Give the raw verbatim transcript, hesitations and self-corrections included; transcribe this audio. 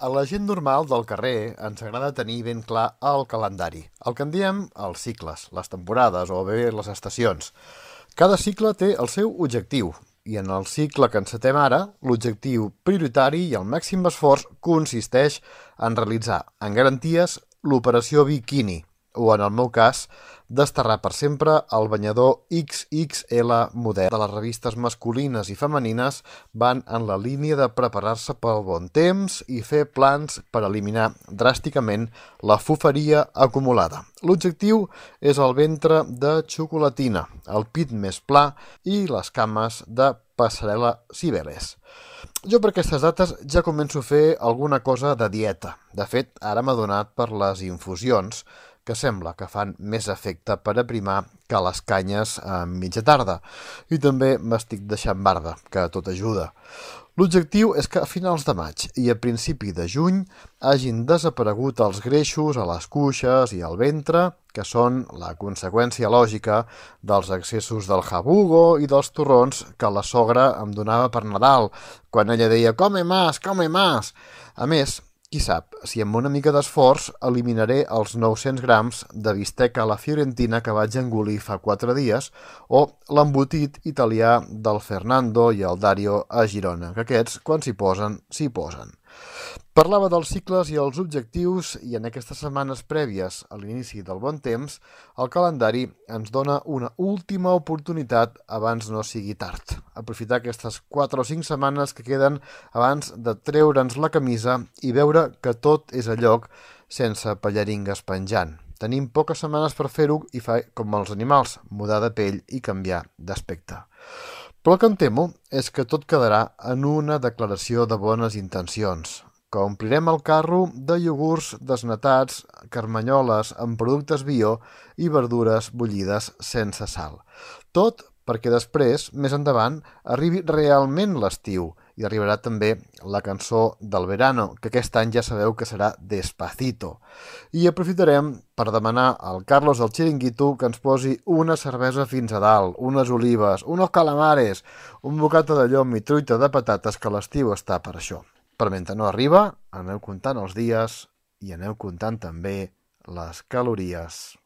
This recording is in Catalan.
A la gent normal del carrer ens agrada tenir ben clar el calendari, el que en diem els cicles, les temporades o bé les estacions. Cada cicle té el seu objectiu, i en el cicle que encetem ara, l'objectiu prioritari i el màxim esforç consisteix en realitzar en garanties l'operació biquini, o en el meu cas, desterrar per sempre el banyador X X L modern. De les revistes masculines i femenines van en la línia de preparar-se pel bon temps i fer plans per eliminar dràsticament la fufaria acumulada. L'objectiu és el ventre de xocolatina, el pit més pla i les cames de passarel·la Cibeles. Jo per aquestes dates ja començo a fer alguna cosa de dieta. De fet, ara m'he adonat per les infusions que sembla que fan més efecte per aprimar que les canyes a mitja tarda. I també m'estic deixant barba, que tot ajuda. L'objectiu és que a finals de maig i a principi de juny hagin desaparegut els greixos a les cuixes i al ventre, que són la conseqüència lògica dels excessos del jabugo i dels torrons que la sogra em donava per Nadal, quan ella deia «come más, come más». A més, qui sap, si amb una mica d'esforç eliminaré els nou-cents grams de bistec a la fiorentina que vaig engolir fa quatre dies o l'embotit italià del Fernando i el Dario a Girona, que aquests, quan s'hi posen, s'hi posen. Parlava dels cicles i els objectius i en aquestes setmanes prèvies a l'inici del bon temps, el calendari ens dona una última oportunitat abans no sigui tard. Aprofitar aquestes quatre o cinc setmanes que queden abans de treure'ns la camisa i veure que tot és a lloc sense pallaringues penjant. Tenim poques setmanes per fer-ho i fa com els animals, mudar de pell i canviar d'aspecte. Però el que em temo és que tot quedarà en una declaració de bones intencions, que omplirem el carro de iogurts desnatats, carmanyoles amb productes bio i verdures bullides sense sal. Tot perquè després, més endavant, arribi realment l'estiu i arribarà també la cançó del verano, que aquest any ja sabeu que serà Despacito. I aprofitarem per demanar al Carlos del Chiringuito que ens posi una cervesa fins a dalt, unes olives, unos calamares, un bocata de llom i truita de patates, que l'estiu està per això. Però mentre no arriba, aneu comptant els dies i aneu comptant també les calories.